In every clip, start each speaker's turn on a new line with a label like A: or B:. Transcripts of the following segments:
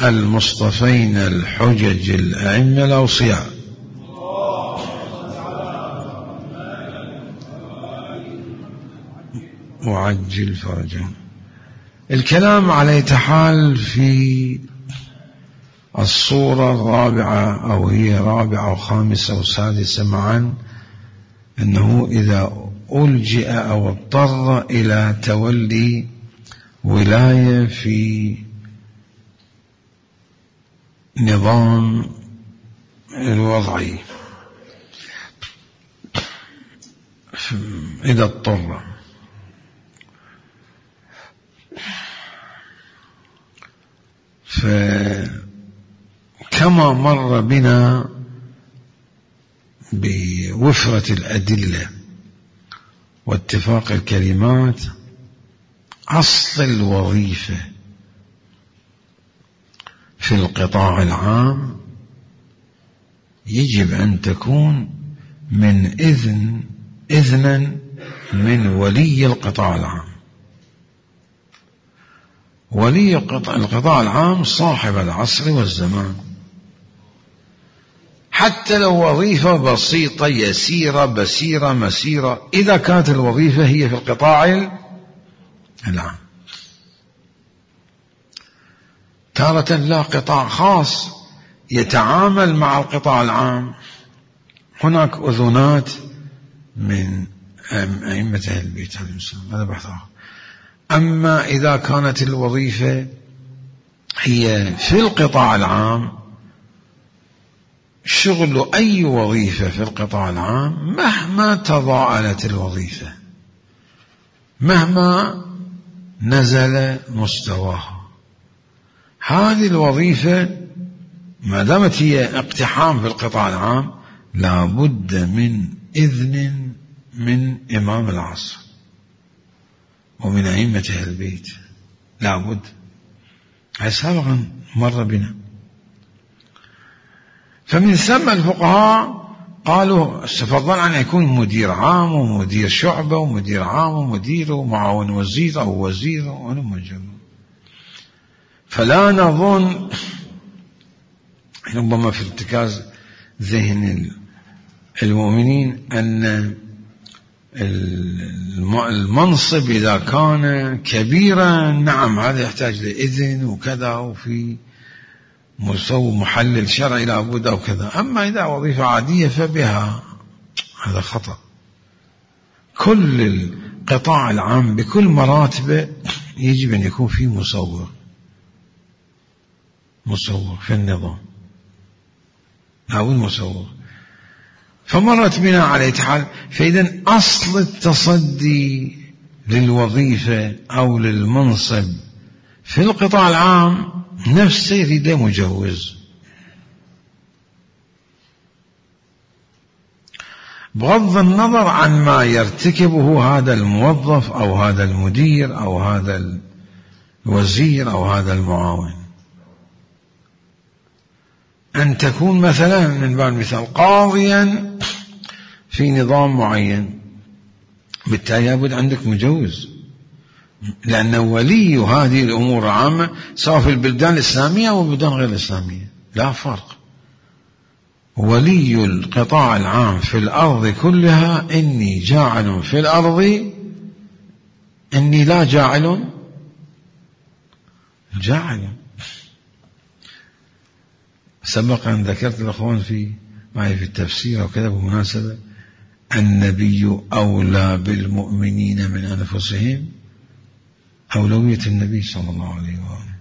A: المصطفين الحجج الأئمة الأوصياء. وعجل فرجهم. الكلام على تحال في الصورة الرابعة، أو هي رابعة وخامسة وسادسة معا، أنه إذا ألجئ أو اضطر إلى تولي ولاية في نظام الوضعي، إذا اضطر، فكما مر بنا بوفرة الأدلة واتفاق الكلمات، أصل الوظيفة في القطاع العام يجب أن تكون من إذنا من ولي القطاع العام. ولي القطاع العام صاحب العصر والزمان، حتى لو وظيفة بسيطة يسيرة بسيرة مسيرة، إذا كانت الوظيفة هي في القطاع العام. تارة لا، قطاع خاص يتعامل مع القطاع العام، هناك أذنات من أئمة أهل البيت عليهم السلام، هذا بحث آخر. أما إذا كانت الوظيفة هي في القطاع العام، شغل أي وظيفة في القطاع العام مهما تضاءلت الوظيفة، مهما نزل مستواها، هذه الوظيفة ما دامت هي اقتحام في القطاع العام لا بد من إذن من إمام العصر ومن أئمة أهل البيت، لا بد. هذا سابقا مر بنا. فمن ثم الفقهاء قالوا استفضل أن يكون مدير عام ومدير شعبة ومدير عام ومدير ومعاون وزير أو وزير ونمجر. فلا نظن، ربما في ارتكاز ذهن المؤمنين، أن المنصب إذا كان كبيرا نعم هذا يحتاج لإذن وكذا، وفي مسوي محلل شرعي لابد أو كذا. أما إذا وظيفة عادية فبها، هذا خطأ. كل القطاع العام بكل مراتبه يجب أن يكون فيه مصور في النظام، أو المصور. فمرت بنا على حال. فإذا أصل التصدي للوظيفة أو للمنصب في القطاع العام نفسه يريد مجوز، بغض النظر عن ما يرتكبه هذا الموظف أو هذا المدير أو هذا الوزير أو هذا المعاون. أن تكون مثلا من باب المثال قاضيا في نظام معين، بالتالي لابد عندك مجوز، لأن ولي هذه الأمور العامة سواء في البلدان الإسلامية أو البلدان غير الإسلامية لا فرق. ولي القطاع العام في الأرض كلها إني جاعل في الأرض، إني لا جاعل. سبق أن ذكرت الأخوان معي في التفسير وكذا بمناسبة، النبي أولى بالمؤمنين من أنفسهم، أولوية النبي صلى الله عليه وآله.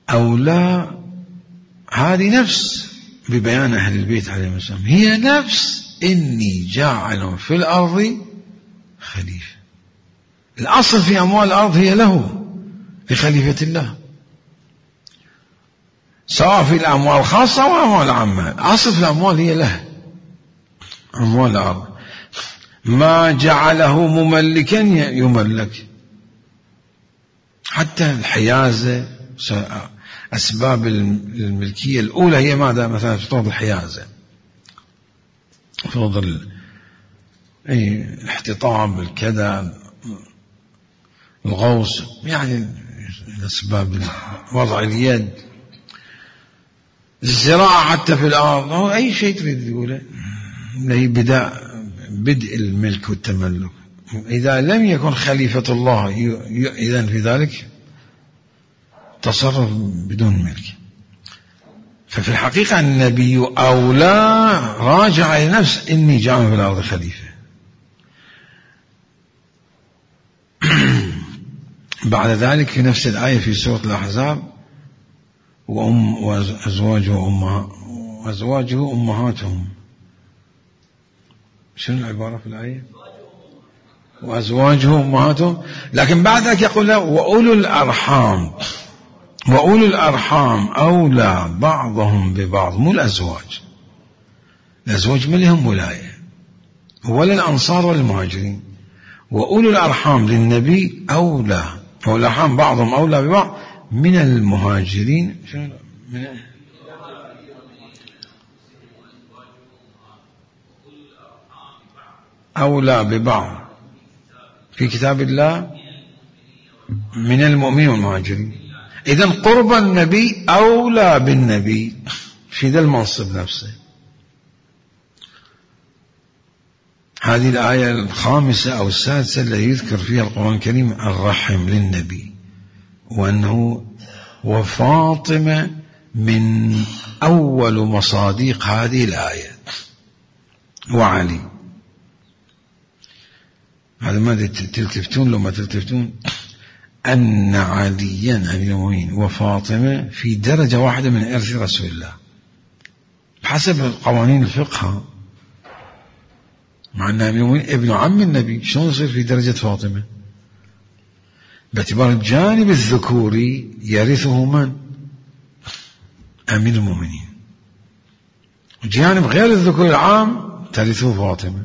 A: أولى هذه نفس ببيان أهل البيت عليهم السلام، هي نفس إني جاعل في الأرض خليفة. الأصل في أموال الأرض هي له، لخليفة الله، سواء في الأموال الخاصة أو أموال عامة. الأصل في الأموال هي له، أموال الأرض. ما جعله مملكا يملك، حتى الحيازة، أسباب الملكية الأولى هي ماذا؟ مثلا فرض الحيازة، فرض الاحتطاب، الكذا، الغوص، يعني أسباب وضع اليد، الزراعة حتى في الأرض، أو أي شيء تريد تقوله اللي هي بدء الملك والتملك. إذا لم يكن خليفة الله إذن في ذلك تصرف بدون ملك. ففي الحقيقة النبي أولى راجع إلى نفس إني جاعل في الأرض خليفة. بعد ذلك في نفس الآية في سورة الأحزاب وأزواجه أمهاتهم. شنو العبارة في الآية؟ وأزواجه أمهاتهم. لكن بعد ذلك يقول له وأولو الأرحام أولى بعضهم ببعض، مو الأزواج. الأزواج ما لهم ولاية، ولا الأنصار ولا المهاجرين. وأولو الأرحام للنبي أولى، والأرحام بعضهم أولى ببعض من المهاجرين. أولى ببعض في كتاب الله من المؤمنين والمهاجرين. إذن قرب النبي أولى بالنبي في ذا المنصب نفسه. هذه الآية الخامسة أو السادسة التي يذكر فيها القرآن الكريم الرحم للنبي، وأنه وفاطمة من أول مصاديق هذه الآية، وعلي. هذا ما تلتفتون لو ما تلتفتون أن عليا أمير المؤمنين وفاطمة في درجة واحدة من إرث رسول الله بحسب قوانين الفقه، مع أن أمير المؤمنين ابن عم النبي، شلون يصير في درجة فاطمة؟ باعتبار الجانب الذكوري يرثه من؟ أمير المؤمنين. الجانب غير الذكوري العام ترثه فاطمة.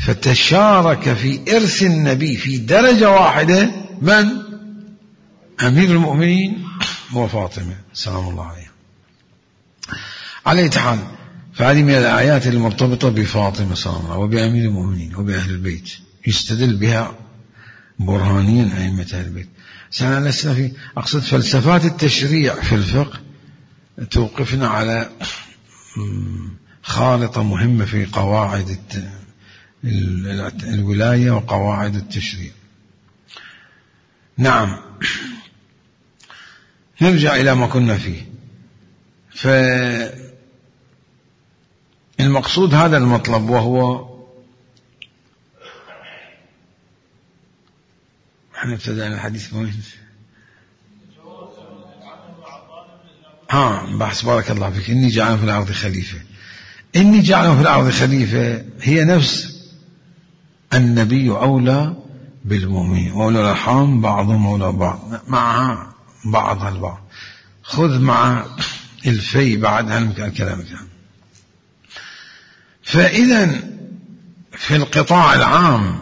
A: فتشارك في إرث النبي في درجة واحدة من؟ أمير المؤمنين وفاطمة سلام الله عليها. على أي حال، فهذه من الآيات المرتبطة بفاطمة سلام الله وبأمير المؤمنين وبأهل البيت، يستدل بها برهانيا أئمة أهل البيت. سنة لسنا في أقصد فلسفات التشريع في الفقه توقفنا على خارطة مهمة في قواعد الولاية وقواعد التشريع. نعم، نرجع إلى ما كنا فيه. فالمقصود هذا المطلب، وهو احنا ابتدأنا الحديث وين؟ بحث بارك الله فيك. إني جاعل في الأرض خليفة. إني جاعل في الأرض خليفة هي نفس النبي أولى بالمؤمنين، وأولى الأرحام بعضهم أولى بعض، معها بعضها البعض. خذ مع الفي بعد عن الكلام كان. فإذا في القطاع العام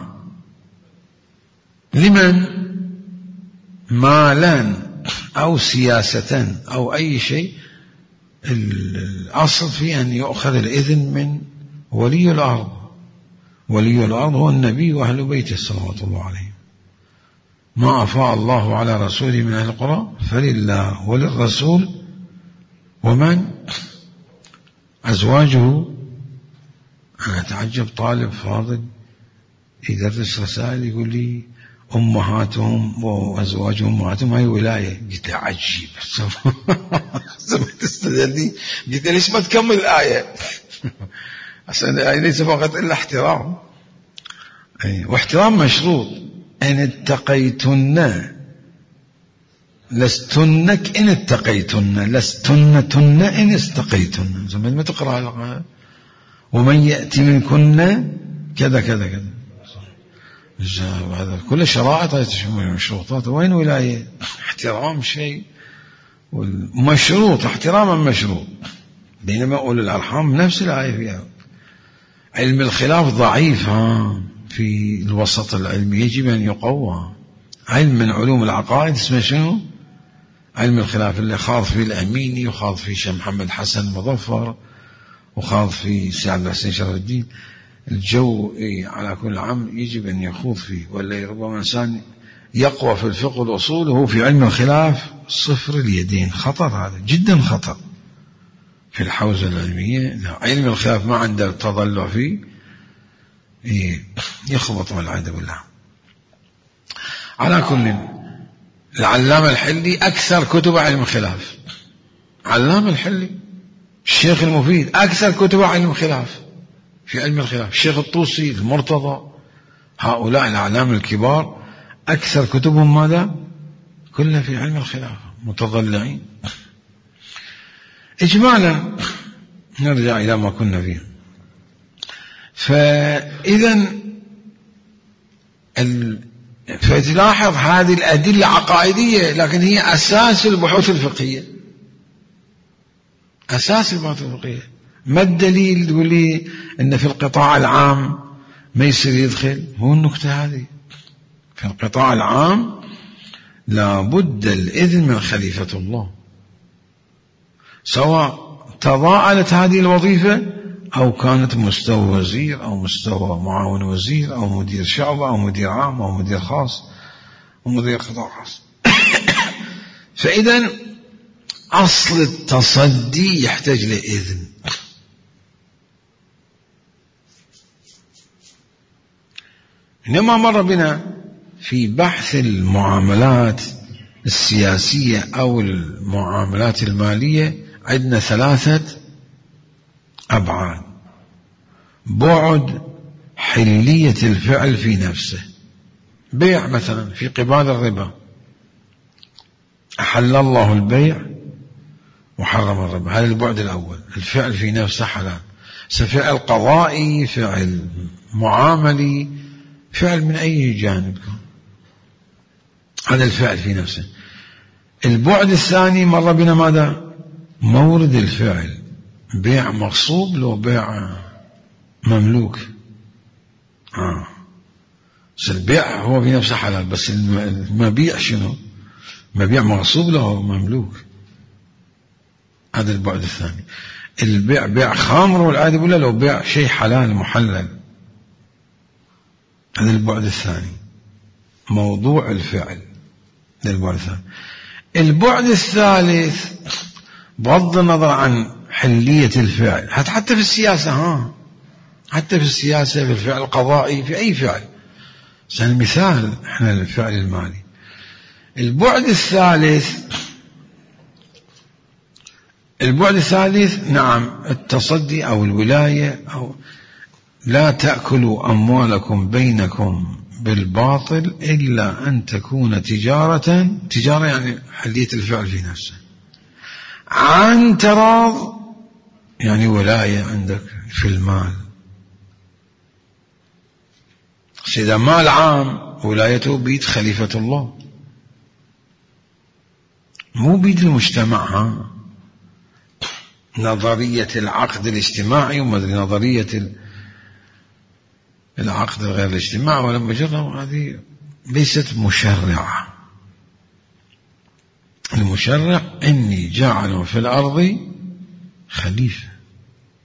A: لمن مالا أو سياسة أو أي شيء، الأصل في أن يؤخذ الإذن من ولي الأرض. ولي الأرض هو النبي وأهل بيته صلوات الله عليه. ما أفاء الله على رسوله من أهل القرى فلله وللرسول ومن أزواجه. أنا أتعجب طالب فاضل يدرس رسائل يقول لي أمهاتهم وأزواجهم أمهاتهم هاي ولاية. قلت له عجيب تستدلني. قلت له ليش ما تكمل الآية؟ عشان الآية ليس فقط إلا احترام، واحترام مشروط. إن اتقيتن لستنك إن اتقيتن، لستنتن إن استقيتن. زي ما تقرأ ومن يأتي منكن كذا كذا كذا. هذا كل شرائط مشروطات. وين ولاية؟ احترام شيء مشروط، احتراما مشروط. بينما أولي الأرحام نفس الآية فيها. علم الخلاف ضعيف في الوسط العلمي، يجب أن يقوى. علم من علوم العقائد اسمه شنو؟ علم الخلاف، اللي خاض فيه الأميني وخاض فيه شيخ محمد حسن مظفر وخاض فيه سعد الحسين شرف الدين. الجو على كل عام يجب أن يخوض فيه، ولا ربما إنسان يقوى في الفقه والأصول وهو في علم الخلاف صفر اليدين. خطر، هذا جدا خطر في الحوزة العلمية. علم الخلاف ما عنده تضلع فيه يخبط والعياذ بالله. على كل، العلامة الحلي أكثر كتب علم الخلاف، علامة الحلي، الشيخ المفيد أكثر كتب علم الخلاف في علم الخلاف، الشيخ الطوسي، المرتضى، هؤلاء الأعلام الكبار أكثر كتبهم ماذا؟ كلها في علم الخلاف، متضلعين. إجمالا نرجع إلى ما كنا فيه. فإذا فتلاحظ هذه الأدلة عقائدية، لكن هي أساس البحوث الفقهية، أساس البحوث الفقهية. ما الدليل تقول لي أن في القطاع العام ما يصير يدخل؟ هو النكتة هذه، في القطاع العام لابد الإذن من خليفة الله، سواء تضاءلت هذه الوظيفة أو كانت مستوى وزير أو مستوى معاون وزير أو مدير شعبة أو مدير عام أو مدير خاص أو مدير قطاع خاص. فإذا أصل التصدي يحتاج لإذن. إنما مر بنا في بحث المعاملات السياسية أو المعاملات المالية عندنا 3 أبعاد. بعد حلية الفعل في نفسه، بيع مثلا في قبال الربا، أحل الله البيع وحرم الربا، هذا البعد الأول، الفعل في نفسه حلال. فعل قضائي، فعل معاملي، فعل من أي جانب، هذا الفعل في نفسه. البعد الثاني مر بنا ماذا؟ مورد الفعل، بيع مغصوب لو بيع مملوك. البيع هو في نفسه حلال، بس المبيع شنو؟ مبيع مغصوب له مملوك، هذا البعد الثاني. البيع بيع خامر والعياذ بالله لو بيع شيء حلال محلل، هذا البعد الثاني، موضوع الفعل، هذا البعد الثاني. البعد الثالث بغض النظر عن حلية الفعل، حتى في السياسة، حتى في السياسة، في الفعل القضائي، في أي فعل، مثال احنا الفعل المالي. البعد الثالث نعم التصدي أو الولاية، أو لا تأكلوا أموالكم بينكم بالباطل إلا أن تكون تجارة يعني حلية الفعل في نفسه، عن تراض، يعني ولاية عندك في المال. إذا مال عام ولايته بيد خليفة الله، مو بيد المجتمع. نظرية العقد الاجتماعي ونظرية العقد غير الاجتماعي ولا مجرد، هذه ليست مشرعة. المشرع إني جاعل في الأرض خليفة.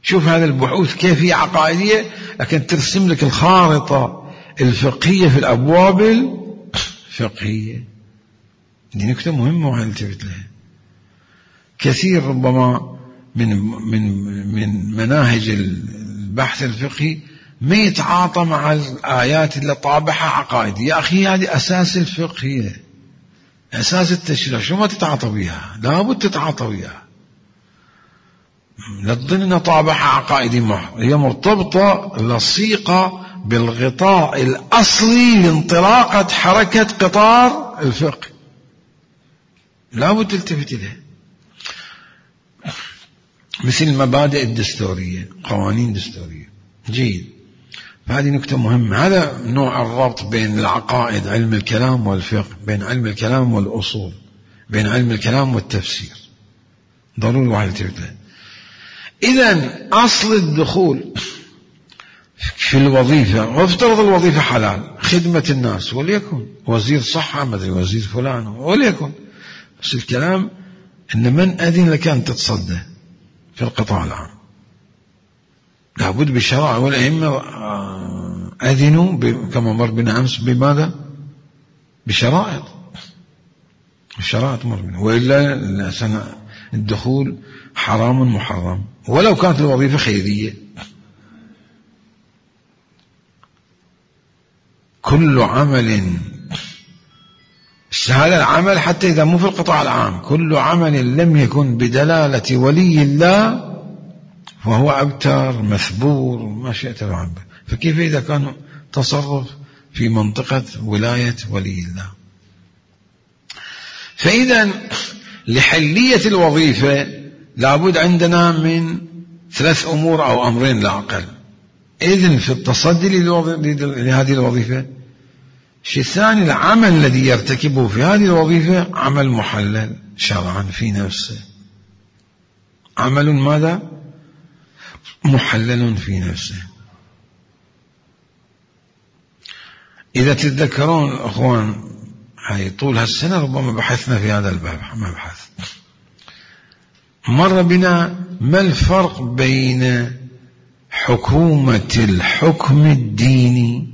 A: شوف هذا البحوث كيف هي عقائدية، لكن ترسم لك الخارطة الفقهية في الأبواب الفقهية. دي نكتة مهمة وهنلتفت لها. كثير ربما من مناهج البحث الفقهي ما يتعاطى مع الآيات اللي طابعها عقائدية. يا أخي هذه أساس الفقه، أساس التشريع، شو ما تتعاطى بها؟ لابد تتعاطى بها، لا تظن أنها طابعها عقائدي محض، هي مرتبطة لصيقة بالغطاء الأصلي لانطلاقة حركة قطار الفقه، لابد تلتفت إليه. مثل المبادئ الدستورية، قوانين دستورية، جيد. هذه نكتة مهمة. هذا نوع الربط بين العقائد، علم الكلام والفقه، بين علم الكلام والأصول، بين علم الكلام والتفسير، ضروري واحد يلتفت له. إذن أصل الدخول في الوظيفة، وافترض الوظيفة حلال، خدمة الناس، وليكن وزير صحة، مدري وزير فلان، وليكن، بس الكلام إن من أذن لك أن تتصدى في القطاع العام؟ لابد بالشرع، والأئمة أذنوا كما مر بنا أمس بماذا؟ بشرائط، الشرائط مر منه، وإلا الدخول حرام محرم ولو كانت الوظيفة خيرية. كل عمل، هذا العمل حتى إذا مو في القطاع العام، كل عمل لم يكن بدلالة ولي الله فهو أبتر مثبور ما شئت العبد. فكيف إذا كان تصرف في منطقة ولاية ولي الله؟ فإذا لحلية الوظيفة لابد عندنا من 3 أمور أو أمرين لا أقل. إذن في التصدي لهذه الوظيفة. الشيء الثاني، العمل الذي يرتكبه في هذه الوظيفة عمل محلل شرعا في نفسه، عمل ماذا؟ محلل في نفسه. إذا تتذكرون أخوان، هاي طول هالسنة ربما بحثنا في هذا الباب مبحث، مر بنا ما الفرق بين حكومة الحكم الديني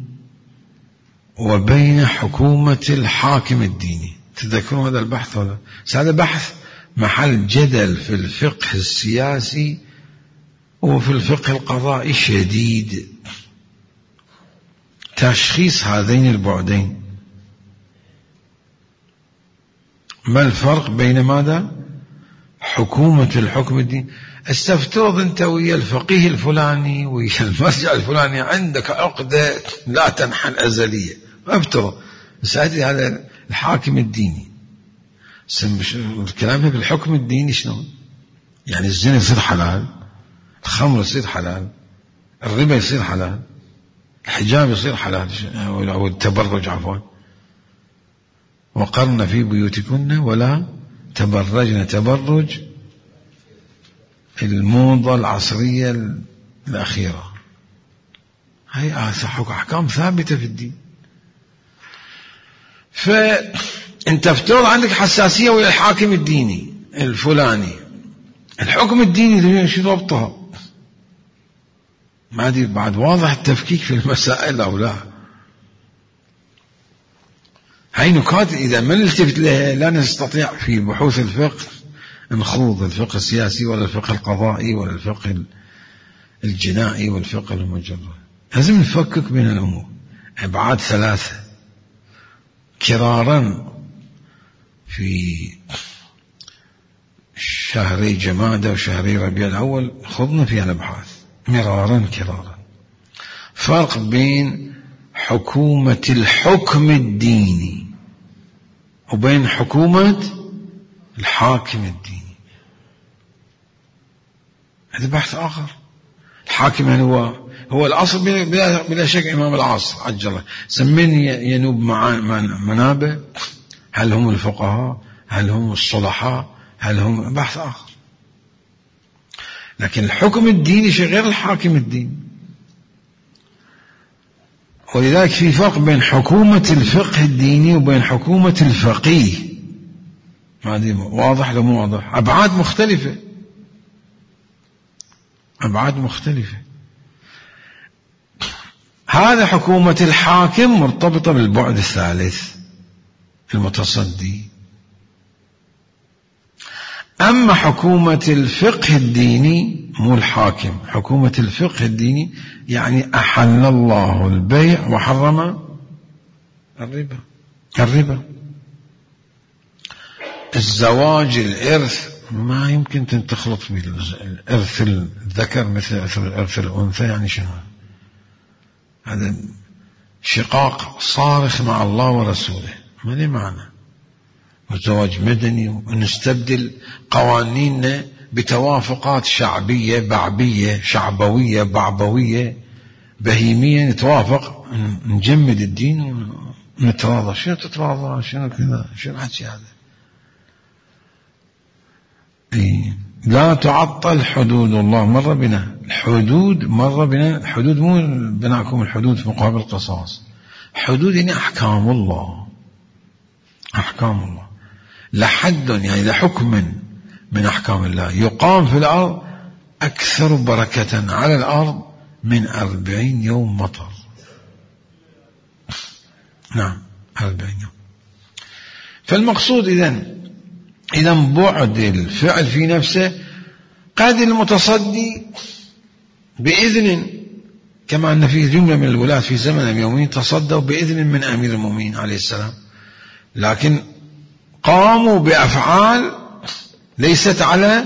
A: وبين حكومة الحاكم الديني. تذكرون هذا البحث ولا؟ هذا بحث محل جدل في الفقه السياسي وفي الفقه القضائي شديد، تشخيص هذين البعدين. ما الفرق بين ماذا؟ حكومة الحكم الديني. استفترض انت ويا الفقيه الفلاني ويا المرجع الفلاني عندك عقدة لا تنحل أزلية، افترض سأدري هذا الحاكم الديني. الكلام في الحكم الديني شنو؟ يعني الزنا يصير حلال، الخمر يصير حلال، الربا يصير حلال، الحجاب يصير حلال أو التبرج عفوا، وقرن في بيوتكن ولا تبرجن تبرج الموضة العصرية الأخيرة. هاي أحكام ثابتة في الدين. فأنت افترض عندك حساسية ويا الحاكم الديني الفلاني، الحكم الديني شو ضبطها؟ ما أدري بعد واضح التفكيك في المسائل أو لا. هاي نكات إذا ما نلتفت لها لا نستطيع في بحوث الفقه نخوض الفقه السياسي ولا الفقه القضائي ولا الفقه الجنائي والفقه المجرد. لازم نفكك بين الأمور. أبعاد 3 كرارا في شهري جمادى وشهري ربيع الأول خضنا فيها الأبحاث مرارا كرارا. فرق بين حكومة الحكم الديني وبين حكومة الحاكم الديني، هذا بحث آخر. الحاكم يعني هو الأصل بلا شك إمام العصر عجل الله، سمين ينوب منابه، هل هم الفقهاء، هل هم الصلحاء، هل هم بحث آخر. لكن الحكم الديني شيء غير الحاكم الديني. ولذلك في فرق بين حكومة الفقه الديني وبين حكومة الفقيه. هذه واضح لو مو واضح؟ أبعاد مختلفة، أبعاد مختلفة. هذا حكومة الحاكم مرتبطة بالبعد الثالث المتصدي. أما حكومة الفقه الديني مو الحاكم، حكومة الفقه الديني يعني أحل الله البيع وحرم الربا. الزواج، الإرث ما يمكن تخلط بالإرث الذكر مثل إرث الأنثى. يعني شنو هذا؟ شقاق صارخ مع الله ورسوله، ما لي معنى. والزواج مدني، ونستبدل قوانيننا بتوافقات شعبية بعبية، شعبوية بعبوية بهيمية، نتوافق نجمد الدين ونتراضى. شنو تتراضى؟ شنو كذا؟ شنو حكي هذا؟ لا تعطل حدود الله. مر بنا الحدود، الحدود مو بناكم الحدود في مقابل القصاص. حدود يعني أحكام الله، أحكام الله. لحد يعني لحكم من أحكام الله يقام في الأرض أكثر بركة على الأرض من 40 يوم مطر. نعم 40 يوم. فالمقصود إذا بعد الفعل في نفسه، قد المتصدي بإذن، كما أن في جملة من الولاة في زمن أمير المؤمنين تصدوا بإذن من أمير المؤمنين عليه السلام، لكن قاموا بأفعال ليست على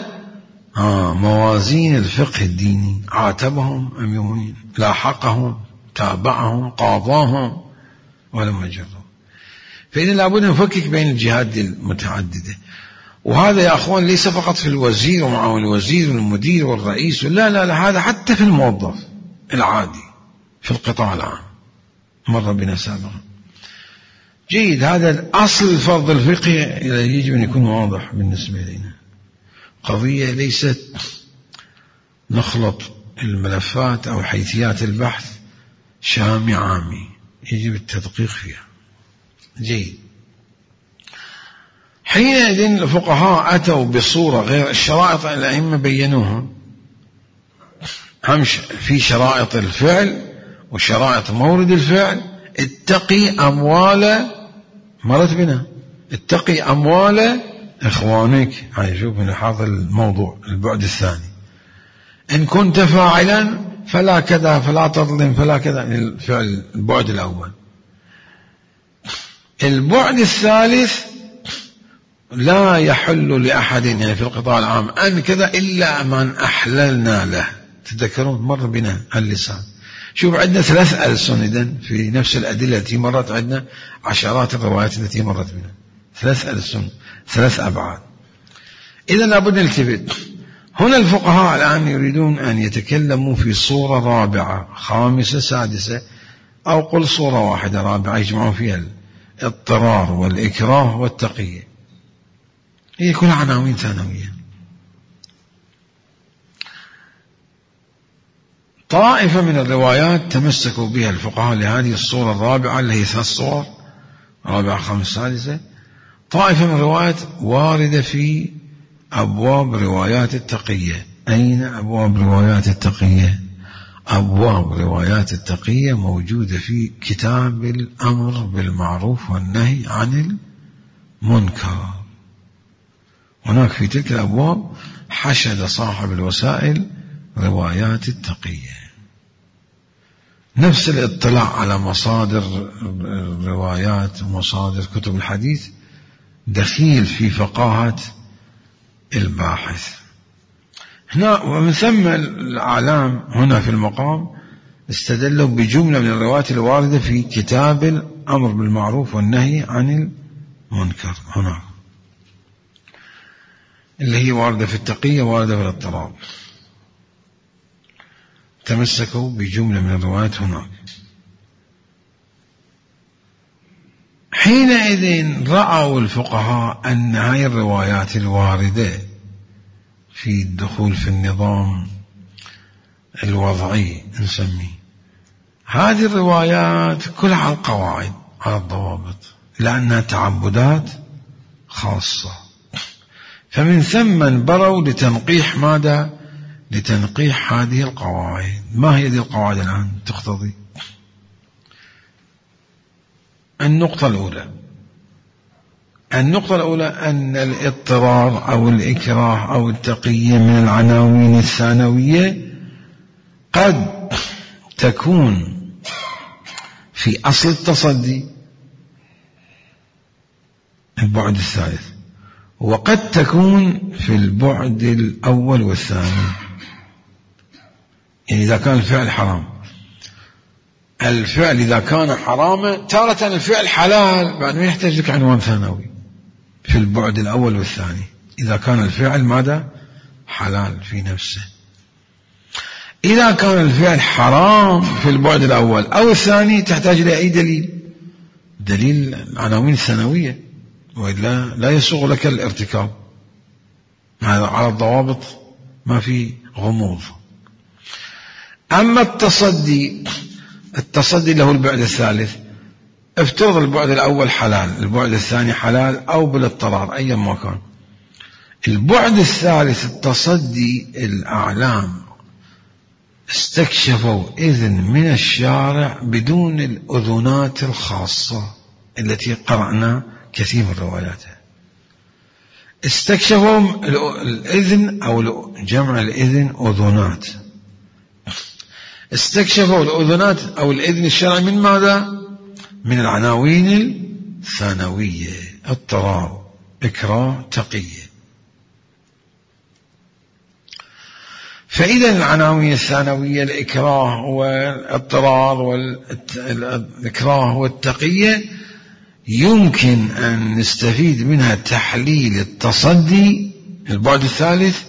A: موازين الفقه الديني. عاتبهم أمير المؤمنين، لاحقهم، تابعهم، قاضاهم، ولم يجروا. فإذا لابد نفكك بين الجهات المتعددة. وهذا يا أخوان ليس فقط في الوزير ومعاون الوزير والمدير والرئيس، لا، هذا حتى في الموظف العادي في القطاع العام، مر بنا سابقا. جيد، هذا أصل الفرض الفقهي يجب أن يكون واضح بالنسبة لنا. قضية ليست نخلط الملفات أو حيثيات البحث شامي عامي، يجب التدقيق فيها. جيد، حينئذ الفقهاء أتوا بصورة غير الشرائط الأئمة بينوها. في شرائط الفعل وشرائط مورد الفعل. اتقي أموال، مرت بنا، اتقي أموال إخوانك. هاي شوف من هذا الموضوع البعد الثاني. إن كنت فاعلا فلا كذا، فلا تظلم، فلا كذا. الفعل البعد الأول. البعد الثالث، لا يحل لأحد يعني في القطاع العام أن كذا إلا من أحللنا له. تذكرون مر بنا اللسان. شوف عندنا 3 ألسن إذن في نفس الأدلة التي مرت عندنا، عشرات الروايات التي مرت بنا، 3 ألسن، 3 أبعاد. إذن لابد نلتفت. هنا الفقهاء الآن يريدون أن يتكلموا في صورة رابعة، خامسة، سادسة، أو قل صورة واحدة رابعة يجمعون فيها الاضطرار والإكراه والتقية. هي كلها عناوين ثانوية. طائفة من الروايات تمسكوا بها الفقهاء لهذه الصورة الرابعة، اللي هي 3 صور، رابعة، خامسة، سادسة. طائفة من الروايات واردة في أبواب روايات التقية. أين أبواب روايات التقية؟ أبواب روايات التقية موجودة في كتاب الأمر بالمعروف والنهي عن المنكر. هناك في تلك الأبواب حشد صاحب الوسائل روايات التقية. نفس الاطلاع على مصادر الروايات ومصادر كتب الحديث دخيل في فقاهة الباحث هنا. ومن ثم الأعلام هنا في المقام استدلوا بجملة من الروايات الواردة في كتاب الأمر بالمعروف والنهي عن المنكر هناك، اللي هي واردة في التقية، واردة في الاضطراب. تمسكوا بجملة من الروايات هناك. حينئذ رأوا الفقهاء أن هذه الروايات الواردة في الدخول في النظام الوضعي نسميه، هذه الروايات كلها على القواعد، على الضوابط، لأنها تعبدات خاصة. فمن ثم انبروا لتنقيح ماذا؟ لتنقيح هذه القواعد. ما هي هذه القواعد الآن تقتضي؟ النقطة الأولى أن الاضطرار أو الإكراه أو التقية من العناوين الثانوية قد تكون في أصل التصدي، البعد الثالث، وقد تكون في البعد الأول والثاني. يعني إذا كان الفعل حرام، الفعل إذا كان حراما تارة الفعل حلال، بعد ما يحتاج لك عنوان ثانوي في البعد الأول والثاني. إذا كان الفعل ماذا؟ حلال في نفسه. إذا كان الفعل حرام في البعد الأول أو الثاني تحتاج إلى أي دليل العناوين الثانوية، وإلا لا يسوغ لك الارتكاب. على الضوابط ما في غموض. أما التصدي له البعد الثالث، افترض البعد الأول حلال، البعد الثاني حلال أو بالاضطرار أيا ما كان. البعد الثالث التصدي، الأعلام استكشفوا إذن من الشارع بدون الأذنات الخاصة التي قرأنا كثير من رواياتها. استكشفوا الإذن أو جمع الإذن أذنات. استكشفوا الأذنات أو الإذن الشرعي من ماذا؟ من العناوين الثانوية: اضطرار، إكراه، تقية. فإذا العناوين الثانوية الإكراه والاضطرار والإكراه والتقية يمكن أن نستفيد منها تحليل التصدي البعد الثالث،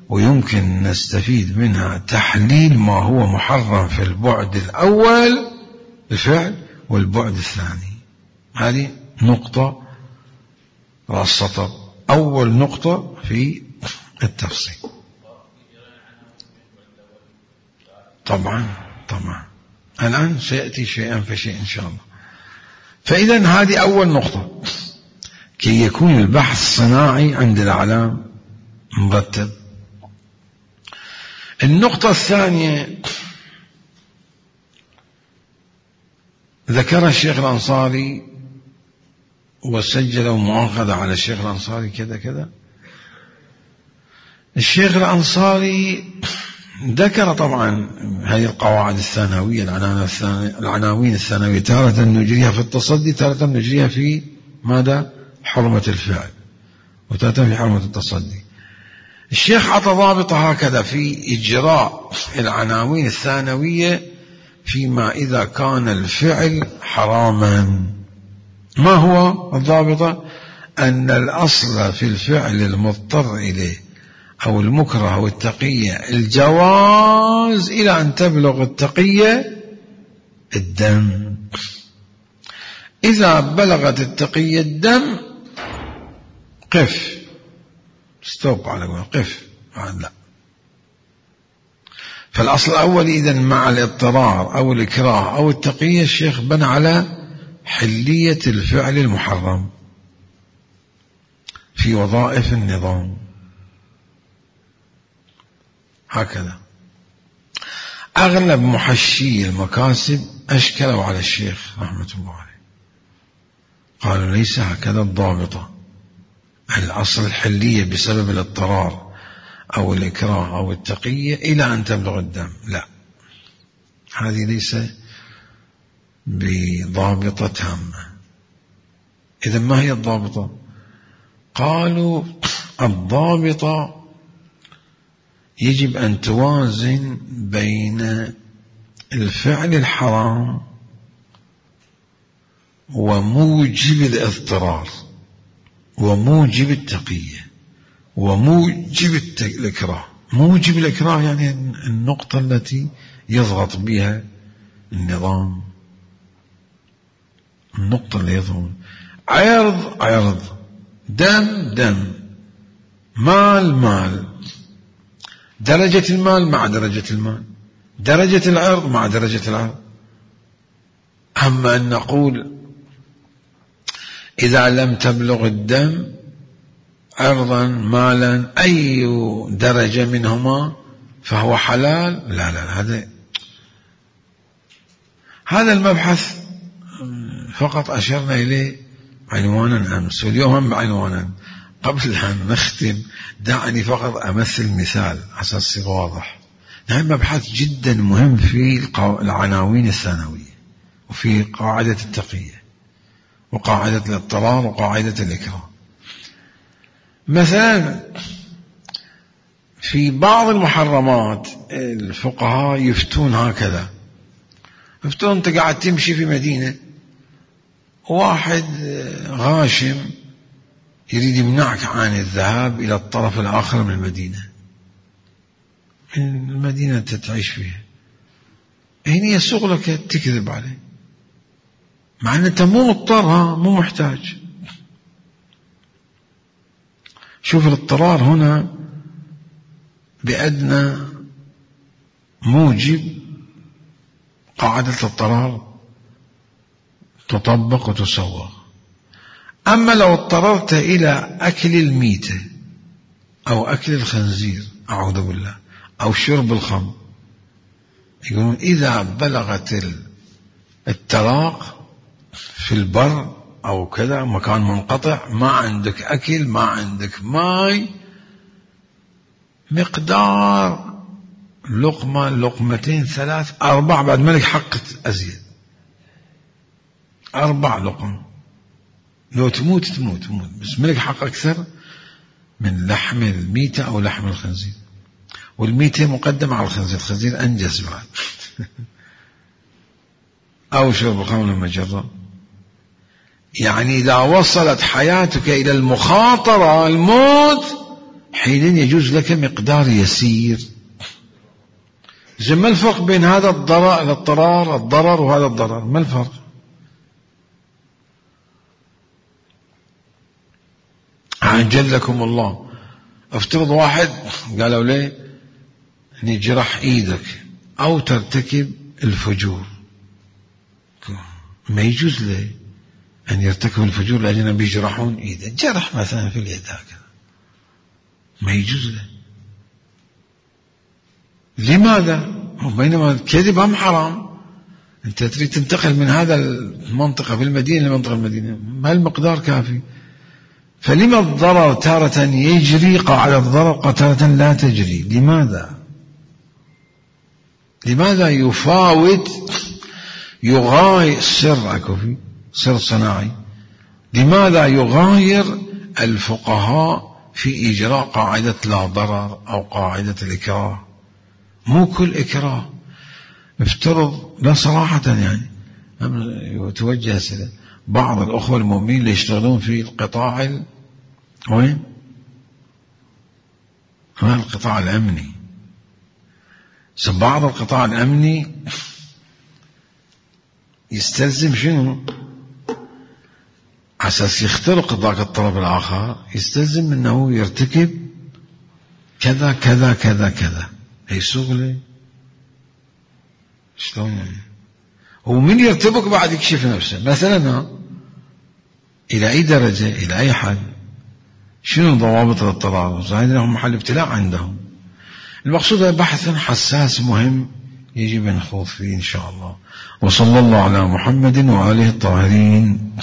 A: ويمكن نستفيد منها تحليل ما هو محرم في البعد الأول الفعل والبعد الثاني. هذه نقطة رأس السطر، أول نقطة في التفصيل. طبعا الآن سيأتي شيئا فشيء إن شاء الله. فإذا هذه أول نقطة كي يكون البحث صناعي عند الأعلام مرتب. النقطة الثانية ذكر الشيخ الأنصاري وسجل مؤاخذة على الشيخ الأنصاري كذا كذا. الشيخ الأنصاري ذكر طبعا هذه القواعد الثانوية، العناوين الثانوية، تارة نجريها في التصدي، تارة نجريها في ماذا؟ حرمة الفعل، وتارة في حرمة التصدي. الشيخ عطى ضابط هكذا في إجراء العناوين الثانوية فيما إذا كان الفعل حراما. ما هو الضابط؟ أن الأصل في الفعل المضطر إليه أو المكره أو التقية الجواز إلى أن تبلغ التقية الدم. إذا بلغت التقية الدم قف، ستوب على قول قف، لا. فالأصل الأول إذن مع الاضطرار أو الإكراه أو التقية الشيخ بنى على حلية الفعل المحرم في وظائف النظام. هكذا أغلب محشي المكاسب أشكلوا على الشيخ رحمة الله عليه، قالوا ليس هكذا الضابطة. الأصل الحلية بسبب الاضطرار أو الإكراه أو التقية إلى أن تبلغ الدم، لا، هذه ليس بضابطة تامة. إذن ما هي الضابطة؟ قالوا الضابطة يجب أن توازن بين الفعل الحرام وموجب الاضطرار وموجب التقية وموجب الإكراه. موجب الإكراه يعني النقطة التي يضغط بها النظام، النقطة اللي يضغط. عرض، دم، مال، درجة المال مع درجة المال، درجة العرض مع درجة العرض. أما أن نقول إذا لم تبلغ الدم عرضا مالا أي درجة منهما فهو حلال، لا، هذا المبحث فقط أشرنا إليه عنوانا أمس، واليوم هم بعنوانا. قبل أن نختم دعني فقط أمثل مثال عشان يصير واضح. هذا مبحث جدا مهم في العناوين الثانوية وفي قاعدة التقية وقاعدة الاضطرار وقاعدة الإكراه. مثلا في بعض المحرمات الفقهاء يفتون هكذا، يفتون أنت قاعد تمشي في مدينة واحد غاشم يريد يمنعك عن الذهاب إلى الطرف الآخر من المدينة تعيش فيها، هنا يسوق لك تكذب عليه مع أن أنت مو مضطر، مو محتاج. شوف الاضطرار هنا بأدنى موجب قاعدة الاضطرار تطبق وتسوغ. أما لو اضطررت إلى أكل الميتة أو أكل الخنزير أعوذ بالله أو شرب الخمر، يقولون إذا بلغت التراق في البر أو كذا، مكان منقطع، ما عندك أكل، ما عندك ماء، مقدار لقمة، لقمتين، 3، 4، بعد ملك حق أزيد، 4 لقم، لو تموت تموت، بس ملك حق أكثر من لحم الميتة أو لحم الخنزير، والميتة مقدمة على الخنزير، الخنزير أنجز بعد. أو شرب الخمر المجرة. يعني إذا وصلت حياتك إلى المخاطرة، الموت، حين يجوز لك مقدار يسير. ما الفرق بين هذا الضرر وهذا الضرر؟ ما الفرق؟ عجلكم الله. افترض واحد قالوا ليه نجرح ايدك او ترتكب الفجور، ما يجوز له ان يرتكب الفجور لأجل بيجرحون ايده، جرح مثلا في اليد هكذا، ما يجوز له. لماذا؟ بينما الكذب هم حرام. انت تريد تنتقل من هذا المنطقة في المدينة لمنطقة المدينة، ما المقدار كافي. فلما الضرر تارة يجري قاعدة الضرر تارة لا تجري؟ لماذا يفاوت يغاير سر صناعي؟ لماذا يغاير الفقهاء في إجراء قاعدة لا ضرر أو قاعدة الإكراه؟ مو كل إكراه. افترض، لا صراحة يعني يتوجه بعض الأخوة المؤمنين اللي يشتغلون في القطاع وين؟ القطاع الأمني. بعض القطاع الأمني يستلزم شنو؟ أساس يخترق ذاك الطرف الآخر، يستلزم أنه يرتكب كذا كذا كذا كذا. يسوق لي شلون يعني؟ ومن يرتبك بعد يكشف نفسه مثلا إلى أي درجة، إلى أي حد، شنو ضوابط الاضطرار؟ زائد لهم محل ابتلاء عندهم. المقصود بحث حساس مهم يجب أن نخوض فيه إن شاء الله. وصلى الله على محمد وآله الطاهرين.